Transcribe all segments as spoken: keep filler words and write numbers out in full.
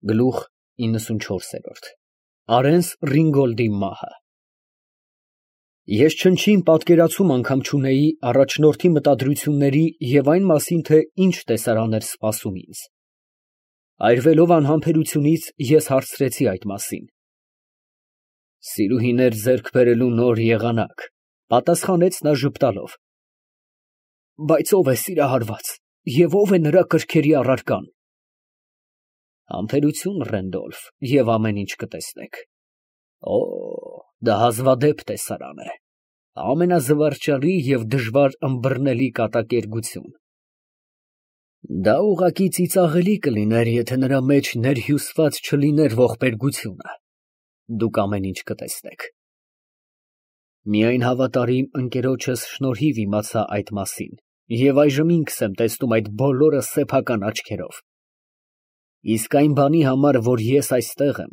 Գլուխ իննսունչորս։ Արենս Ռինգոլդի մահը։ Ես չնչին պատկերացում անգամ չունեի առաջնորդի մտադրությունների և այն մասին, թե ինչ տեսարան էր սպասում ինձ։ Այրվելով անհամբերությունից, ես հարցրեցի այդ մասին։ Սիրուհիներ ձեռք բերելու նոր եղանակ, պատասխանեց նա ժպտալով։ Բայց ո՞վ է սիրահարված և ո՞վ է նրա կրքերի առարկան։ Համբերություն, Ռենդոլֆ, և ամեն ինչ կտեսնեք։ Օ, դա հազվադեպ տեսարան է, ամենազվարճալի և դժվար ըմբռնելի կատակերգություն։ Դա ուղղակի ծիծաղելի կլիներ, եթե նրա մեջ ներհյուսված չլիներ ողբերգությունը, դուք ամեն ինչ կտեսնեք։ Միայն հավատարիմ ընկերոջս շնորհիվ իմացա այդ մասին, և այժմ ինքս եմ տեսնում այդ բոլորը սեփական աչքերով։ Իսկ այն բանի համար, որ ես այստեղ եմ,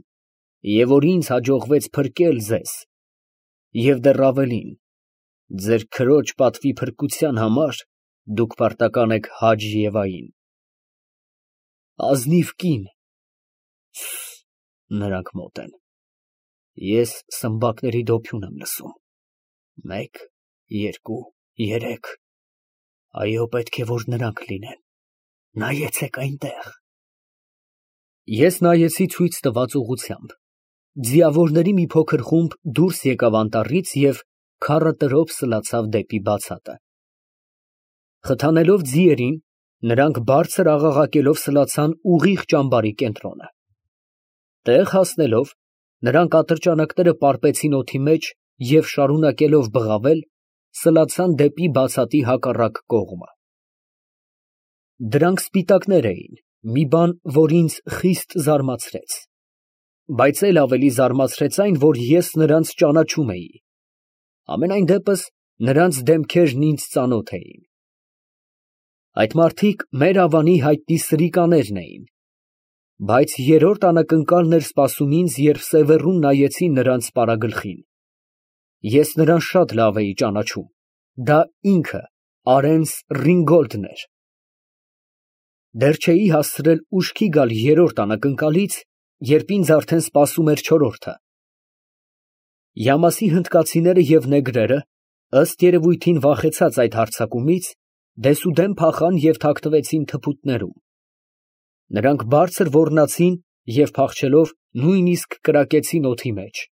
և որ ինձ հաջողվեց փրկել ձեզ, և դեռ ավելին, ձեր քրոջ պատվի փրկության համար, դուք պարտական եք Հաջ֊Եվային։ Ազնիվ կին։ Նրանք մոտ են։ Ես սմբակների դոփյուն եմ լսում։ Մեկ, երկու, երեք։ Այո, պետք է, որ նրանք լինեն։ Նայեցեք այնտեղ։ Ես նայեցի ցույց տված ուղղությամբ։ Ձիավորների մի փոքր խումբ դուրս եկավ անտառից և քառը տրոփ սլացավ դեպի բացատը։ Խթանելով ձիերին, նրանք բարձր աղաղակելով սլացան ուղիղ ճամբարի կենտրոնը։ Տեղ հասնելով, նրանք ատրճանակները պարպեցին օդի մեջ և, շարունակելով բղավել, սլացան դեպի բացատի հակառակ կողմը։ Դրանք սպիտակներ էին, մի բան, որ ինձ խիստ զարմացրեց։ Բայց էլ ավելի զարմացրեց այն, որ ես նրանց ճանաչում էի։ Համենայն դեպս, նրանց դեմքերն ինձ ծանոթ էին։ Այդ մարդիկ մեր ավանի հայտնի սրիկաներն էին։ Բայց երրորդ անակնկալն էր սպասում ինձ, երբ սևեռուն նայեցի նրանց պարագլխին։ Ես նրան շատ լավ էի ճանաչում։ Դա ինքը Արենս Ռինգոլդն էր։ Դեռ չէի հասցրել ուշքի գալ երրորդ անակնկալից, երբ ինձ արդեն սպասում էր չորրորդը։ Յամասի հնդկացիները և նեգրերը, ըստ երևույթին վախեցած այդ հարձակումից, դեսուդեն փախան և թաքնվեցին թփուտներում։ Նրանք բարձր ոռնացին և փախչելով նույնիսկ կրակեցին օդի մեջ։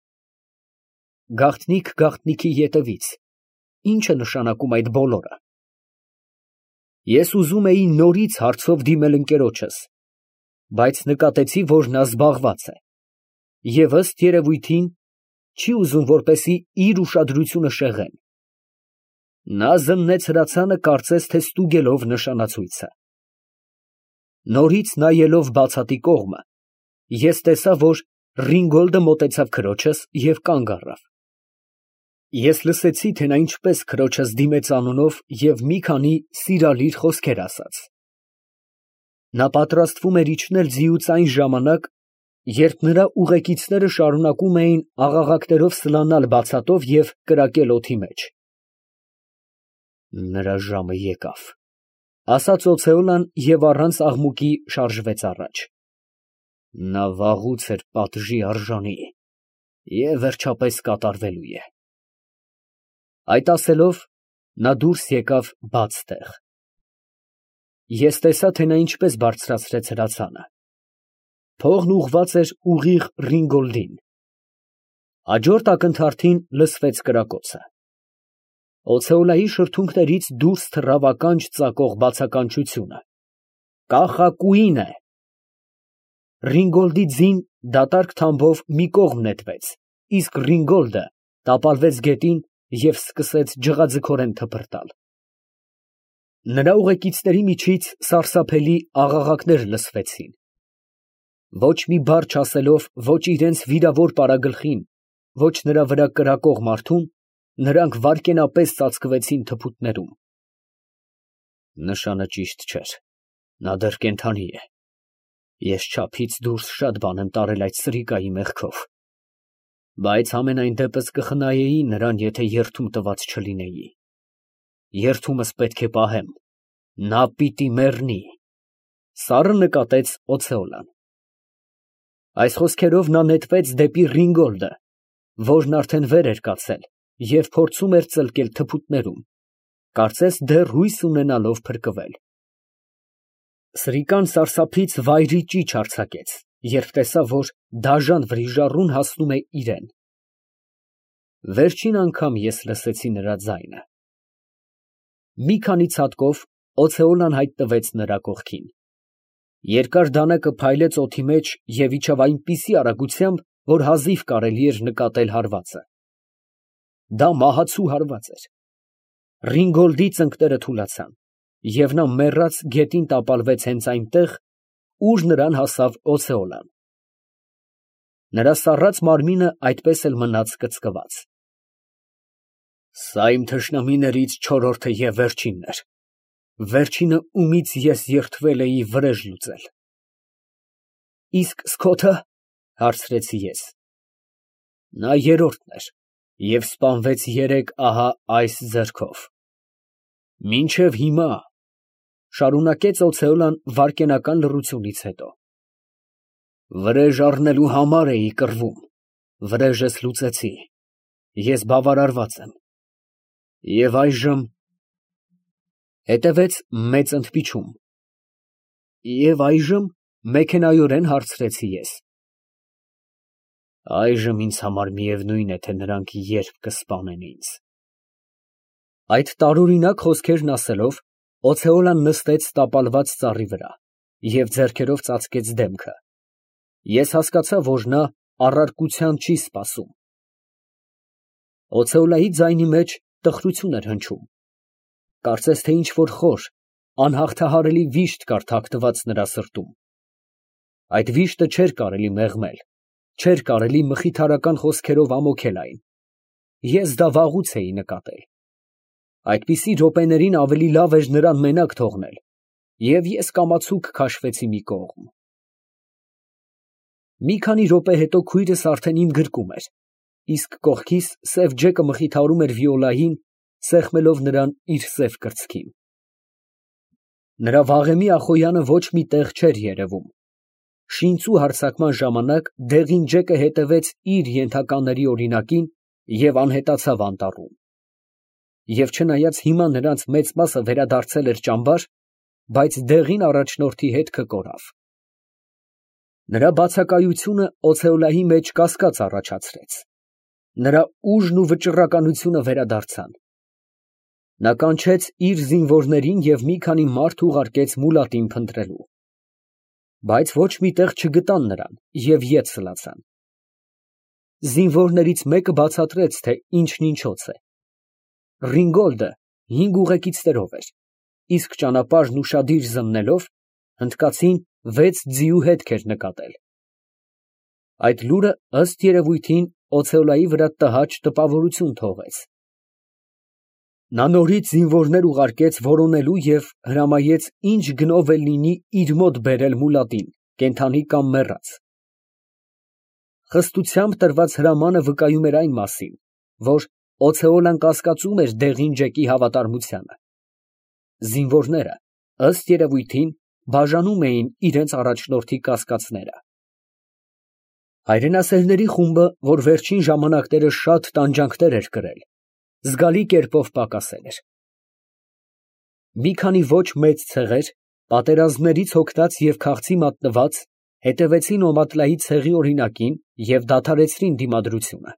Գաղտնիք գաղտնիքի ետևից։ Ի՞նչ է նշանակում այդ բոլորը։ Ես ուզում էի նորից հարցով դիմել ընկերոջս, բայց նկատեցի, որ նա զբաղված է, և ըստ երևույթին, չի ուզում, որպեսզի իր ուշադրությունը շեղեն։ Նա զննեց հրացանը, կարծես թե ստուգելով նշանացույցը։ Նորից նայելով բացատի կողմը, ես տեսա, որ Ռինգոլդը մոտեցավ քրոջս և կանգ առավ։ Ես լսեցի, թե նա ինչպես քրոջս դիմեց անունով և մի քանի սիրալիր խոսքեր ասաց։ Նա պատրաստվում էր իջնել ձիուց այն ժամանակ, երբ նրա ուղեկիցները շարունակում էին աղաղակներով սլանալ բացատով և կրակել օդի մեջ։ Նրա ժամը եկավ, ֊ ասաց օցեոլան և առանց աղմուկի շարժվեց առաջ։ Նա վաղուց էր պատժի արժանի և վերջապես կատարվելու է։ Այդ ասելով, նա դուրս եկավ բաց տեղ։ Ես տեսա, թե նա ինչպես բարձրացրեց հրացանը։ Փողն ուղղված էր ուղիղ Ռինգոլդին։ Հաջորդ ակնթարթին լսվեց կրակոցը։ Օցեոլայի շրթունքներից դուրս թռավ ականջ ծակող բացականչությունը. Կախակուին է։ Ռինգոլդի ձին դատարկ թամբով մի կողմ նետվեց, իսկ Ռինգոլդը տապալվեց գետին և սկսեց ջղաձգորեն թփրտալ։ Նրա ուղեկիցների միջից սարսափելի աղաղակներ լսվեցին։ Ոչ մի բառ չասելով ոչ իրենց վիրավոր պարագլխին, ոչ նրա վրա կրակող մարդուն, նրանք վայրկենապես ծածկվեցին թփուտներում։ Նշանը ճիշտ չէր, նա դեռ կենդանի է։ Ես չափից դուրս շատ բան եմ տարել այդ սրիկայի մեղքով, բայց համենայն դեպս կխնայեի նրան, եթե երդում տված չլինեի։ Երդումս պետք է պահեմ, նա պիտի մեռնի, ֊ սառը նկատեց օցեոլան։ Այս խոսքերով նա նետվեց դեպի Ռինգոլդը, որն արդեն վեր էր կացել և փորձում էր ծլկել թփուտներում, կարծես դեռ հույս ունենալով փրկվել։ Սրիկան սարսափից վայրի ճիչ արձակեց, երբ տեսավ, որ դաժան վրիժառուն հասնում է իրան։ Վերջին անգամ ես լսեցի նրա ձայնը։ Մի քանի ցատկով օցեոլան հայտնվեց նրա կողքին։ Երկար դանակը փայլեց օդի մեջ և իջավ այնպիսի արագությամբ, որ հազիվ կարելի էր նկատել հարվածը։ Դա մահացու հարված էր։ Ռինգոլդի ծնկները թուլացան, և նա մեռած գետին տապալվեց հենց այնտեղ, ուր նրան հասավ օցեոլան։ Նրա սառած մարմինը այդպես էլ մնաց կծկված։ Սա իմ թշնամիներից չորրորդը և վերջինն էր, վերջինը, ումից ես երդվել էի վրեժ լուծել։ ֊ Իսկ Սքոթը, ֊ հարցրի ես։ ֊ Նա երրորդն էր և սպանվեց երեկ ահա այս ձեռքով։ Մինչև հիմա, ֊ շարունակեց օցեոլան վայրկենական լռությունից հետո, ֊ վրեժ առնելու համար էի կռվում, վրեժս լուծեցի, ես բավարարված եմ։ Եվ այժմ… Հետևեց մեծ ընդմիջում։ Եվ այժմ, ֊ մեքենայորեն հարցրի ես։ Այժմ ինձ համար միևնույն է, թե նրանք երբ կսպանեն ինձ։ Այդ տարօրինակ խոսքերն ասելով, օցեոլան նստեց տապալված ծառի վրա և ձեռքերով ծածկեց դեմքը։ Ես հասկացա, որ նա առարկության չի սպասում։ Օցեոլայի ձայնի մեջ տխրություն էր հնչում, կարծես թե ինչ֊որ խոր, անհաղթահարելի վիշտ կար թաքնված նրա սրտում։ Այդ վիշտը չէր կարելի մեղմել, չէր կարելի մխիթարական խոսքերով ամոթել այն։ Ես դա վաղուց էի նկատել։ Այդպիսի րոպեներին ավելի լավ էր նրան մենակ թողնել, և ես կամացուկ քաշվեցի մի կողմ։ Մի քանի րոպե հետո քույրս արդեն իմ գրկում էր, իսկ կողքիս սև ջեկը մխիթարում էր Վիոլային, սեղմելով նրան իր սև կրծքին։ Նրա վաղեմի Ախոյանը ոչ մի տեղ չէր երևում։ Շինծու հարձակման ժամանակ դեղին ջեկը հետևեց իր ենթակաների օրինակին և անհետացավ անտառում։ Եվ չնայած հիմա նրանց մեծ մասը վերադարձել էր ճամբար, բայց դեղին առաջնորդի հետքը կորավ։ Նրա բացակայությունը օցեոլայի մեջ կասկած առաջացրեց։ Նրա ուժն ու վճռականությունը վերադարձան։ Նա կանչեց իր զինվորներին և մի քանի մարդ ուղարկեց մուլատին փնտրելու։ Բայց ոչ մի տեղ չգտան նրան և ետ սլացան։ Զինվորներից մեկը բացատրեց, թե ինչն ինչոց է։ Ռինգոլդը հինգ ուղեկիցներով էր, իսկ ճանապարհն ուշադիր զննելով, հնդկացին վեց ձիու հետք էր նկատել։ Այդ լուրը, ըստ երևույթին, օցեոլայի վրա տհաճ տպավորություն թողեց։ Նա նորից զինվորներ ուղարկեց որոնելու և հրամայեց ինչ գնով էլ լինի իր մոտ բերել մուլատին, կենդանի կամ մեռած։ Խստությամբ տրված հրամանը վկայում էր այն մասին, որ օցեոլան կասկածում էր դեղին ջեկի հավատարմությանը։ Զինվորները, ըստ երևույթին, բաժանում էին իրենց առաջնորդի կասկածները։ Հայրենասերների խումբը, որ վերջին ժամանակները շատ տանջանքներ էր կրել, զգալի կերպով պակասել էր։ Մի քանի ոչ մեծ ցեղեր, պատերազմներից հոգնած և քաղցի մատնված, հետևեցին Օմատլայի ցեղի օրինակին և դադարեցրին դիմադրությունը։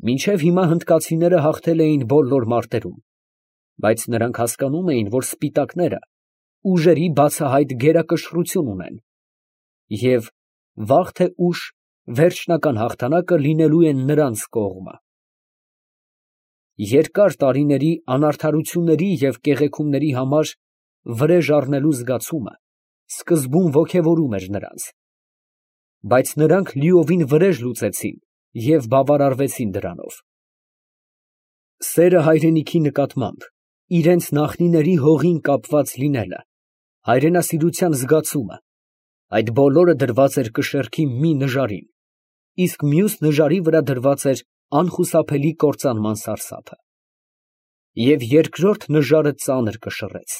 Մինչև հիմա հնդկացիները հաղթել էին բոլոր մարտերում, բայց նրանք հասկանում էին, որ սպիտակները ուժերի բացահայտ գերակշռություն ունեն և, վաղ թե ուշ, վերջնական հաղթանակը լինելու է նրանց կողմը։ Երկար տարիների անարդարությունների և կեղեքումների համար վրեժ առնելու զգացումը սկզբում ոգևորում էր նրանց, բայց նրանք լիովին վրեժ լուծեցին և բավարարվեցին դրանով։ Սերը հայրենիքի նկատմամբ, իրենց նախնիների հողին կապված լինելը, հայրենասիրության զգացումը, այդ բոլորը դրված էր կշեռքի մի նժարին, իսկ մյուս նժարի վրա դրված էր անխուսափելի կործանման սարսափը։ Եվ երկրորդ նժարը ծանր կշռեց։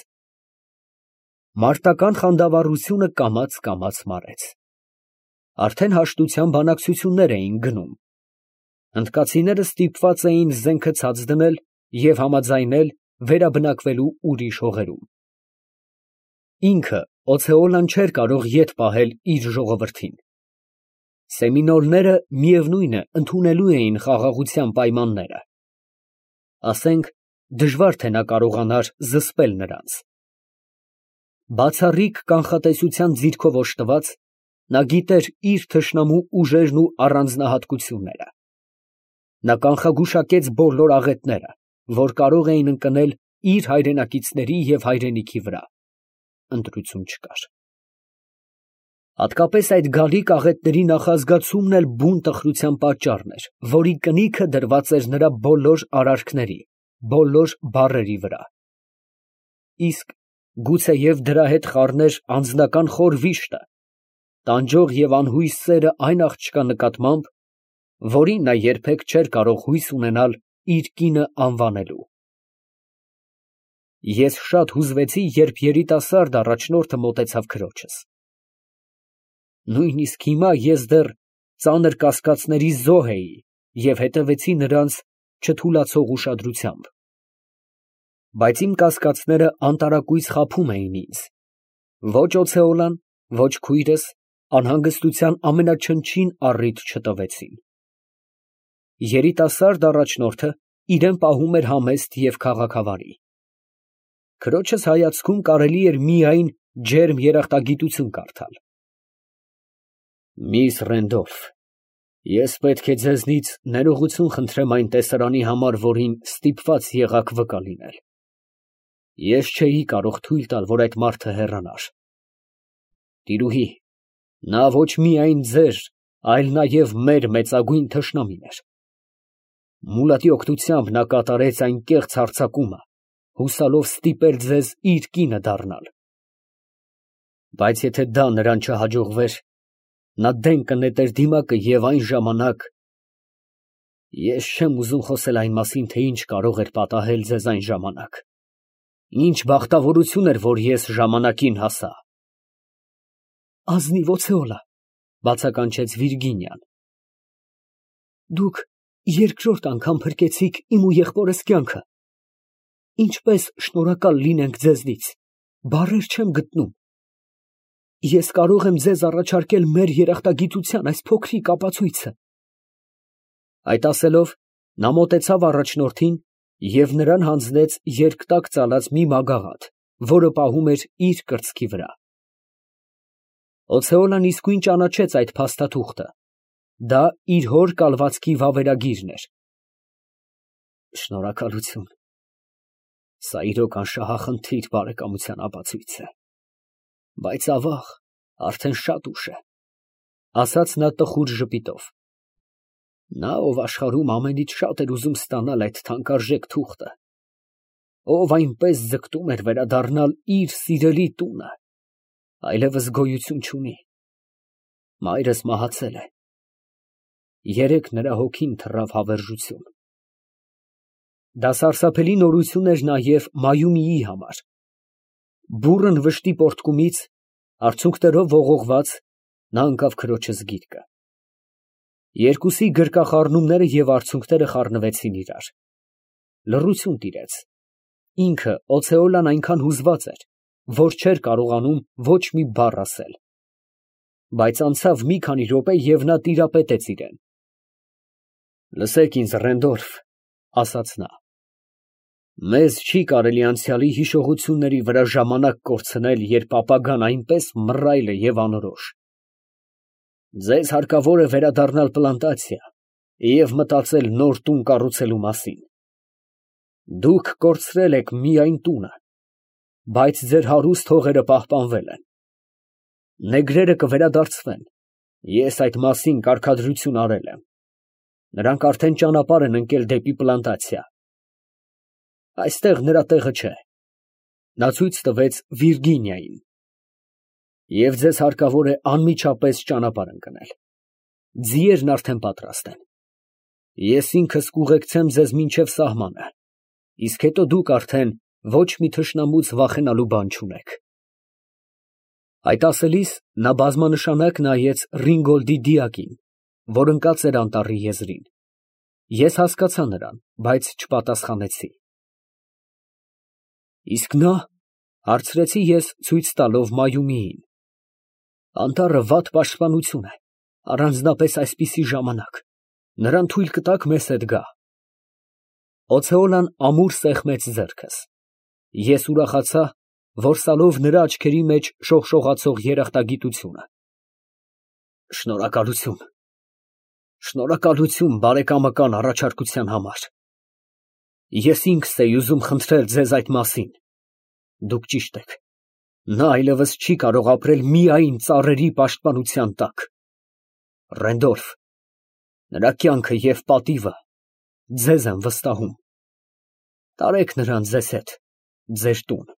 Մարտական խանդավառությունը կամաց֊կամաց մարեց։ Արդեն հաշտության բանակցություններ էին գնում։ Հնդկացիները ստիպված էին զենքը ցած դնել և համաձայնել վերաբնակվելու ուրիշ հողերում։ Ինքը Օցեոլան չէր կարող ետ պահել իր ժողովրդին։ Սեմինոլները միևնույն է ընդունելու էին խաղաղության պայմանները։ Ասենք, դժվար թե նա կարողանար զսպել նրանց։ Բացառիկ կանխատեսության ձիրքով օժտված, նա գիտեր իր թշնամու ուժերն ու առանձնահատկությունները։ Նա կանխագուշակեց բոլոր աղետները, որ կարող էին ընկնել իր հայրենակիցների և հայրենիքի վրա։ Ընտրություն չկար։ Հատկապես այդ գալիք աղետների նախազգացումն էլ բուն տխրության պատճառն էր, որի կնիքը դրված էր նրա բոլոր արարքների, բոլոր բառերի վրա։ Իսկ գուցեև դրա հետ խառներ անձնական խոր վիշտը, տանջող և անհույս սերը այն աղջկա նկատմամբ, որին նա երբեք չէր կարող հույս ունենալ իր կինը անվանելու։ Ես շատ հուզվեցի, երբ երիտասարդ առաջնորդը մոտեցավ քրոջս։ Նույնիսկ հիմա ես դեռ ծանր կասկածների զոհ էի և հետևեցի նրանց չթուլացող ուշադրությամբ։ Բայց իմ կասկածները անտարակույս խաբում էին ինձ։ Ոչ Օցեոլան, ոչ քույրս անհանգստության ամենաչնչին առիթ չտվեցին։ Երիտասարդ առաջնորդը իրան պահում էր համեստ և քաղաքավարի։ Քրոջս հայացքում կարելի էր միայն ջերմ երախտագիտություն կարդալ։ Միս Ռենդոլֆ, ես պետք է ձեզնից ներողություն խնդրեմ այն տեսարանի համար, որին ստիպված եղաք վկա լինել։ Ես չէի կարող թույլ տալ, որ այդ մարդը հեռանար։ Տիրուհի, նա ոչ միայն ձեր, այլ նաև մեր մեծագույն թշնամին էր։ Մուլատի օգնությամբ նա կատարեց այն կեղծ հարձակումը, հուսալով ստիպել ձեզ իր կինը դառնալ։ Բայց եթե դա նրան չհաջողվեր, նա դեն կնետեր դիմակը և այն ժամանակ… Ես չեմ ուզում խոսել այն մասին, թե ինչ կարող էր պատահել ձեզ այն ժամանակ, ինչ բախտավորություն էր, որ ես ժամանակին հասա։ Ազնիվ Օցեոլա, բացականչեց Վիրգինիան, դուք երկրորդ անգամ փրկեցիք իմ ու եղբորս կյանքը։ Ինչպես շնորհակալ լինենք ձեզնից, բառեր չեմ գտնում։ Ես կարող եմ ձեզ առաջարկել մեր երախտագիտության այս փոքրիկ ապացույցը։ Այդ ասելով, նա մոտեցավ առաջնորդին և նրան հանձնեց երկտակ ծալած մի մագաղաթ, որը պահում էր իր կրծքի վրա։ Օցեոլան իսկույն ճանաչեց այդ փաստաթուղթը. դա իր հոր կալվածքի վավերագիրն էր։ Շնորհակալություն։ Սա իրոք անշահախնդիր բարեկամության ապացույց է։ Բայց ավաղ, արդեն շատ ուշ է, ասաց նա տխուր ժպիտով։ Նա, ով աշխարհում ամենից շատ էր ուզում ստանալ այդ թանկարժեք թուղթը, ով այնպես ձգտում էր վերադառնալ իր սիրելի տունը, այլևս գոյություն չունի։ Մայրս մահացել է։ Երեկ նրա հոգին թռավ հավերժություն։ Դա սարսափելի նորություն էր նաև Մայումիի համար։ Բուռն վշտի պոռթկումից, արցունքներով ողողված, նա ընկավ քրոջս գիրկը։ Երկուսի գրկախառնումները և արցունքները խառնվեցին իրար։ Լռություն տիրեց։ Ինքը Օցեոլան այնքան հուզված էր, որ չէր կարողանում ոչ մի բառ ասել։ Բայց անցավ մի քանի րոպե, և նա տիրապետեց իրան։ Լսեք ինձ, Ռենդոլֆ, ասաց նա, մեզ չի կարելի անցյալի հիշողությունների վրա ժամանակ կորցնել, երբ ապագան այնպես մռայլ է և անորոշ։ Ձեզ հարկավոր է վերադառնալ պլանտացիա և մտածել նոր տուն կառուցելու մասին։ Դուք կորցրել եք միայն տունը, բայց ձեր հարուստ հողերը պահպանվել են։ Նեգրերը կվերադարձվեն, ես այդ մասին կարգադրություն արել եմ։ Նրանք արդեն ճանապարհ են ընկել դեպի պլանտացիա։ Այստեղ նրա տեղը չէ։ Նա ցույց տվեց Վիրգինիային։ Եվ ձեզ հարկավոր է անմիջապես ճանապարհ ընկնել։ Ձիերն արդեն պատրաստ են։ Ես ինքս կուղեկցեմ ձեզ մինչև սահմանը, իսկ հետո դուք արդեն ոչ մի թշնամուց վախենալու բան չունեք։ Այդ ասելիս նա բազմանշանակ նայեց Ռինգոլդի դիակին, որ ընկած էր անտառի եզրին։ Ես հասկացա նրան, բայց չպատասխանեցի։ Իսկ նա, հարցրեցի ես ցույց տալով Մայումիին։ Անտառը վատ պաշտպանություն է, առանձնապես այսպիսի ժամանակ, նրան թույլ կտա՞ք մեզ հետ գա։ Օցեոնան ամուր սեղմեց ձեռքս։ Ես ուրախացա, որսալով նրա աչքերի մեջ շողշողացող երախտագիտությունը։ Շնորհակալություն, շնորհակալություն բարեկամական առաջարկության համար։ Ես ինքս էի ուզում խնդրել ձեզ այդ մասին։ Դուք ճիշտ եք, նա այլևս չի կարող ապրել միայն ծառերի պաշտպանության տակ։ Ռենդոլֆ, նրա կյանքը և պատիվը ձեզ եմ վստահում։ Տարեք նրան ձեզ հետ, ձեր տուն։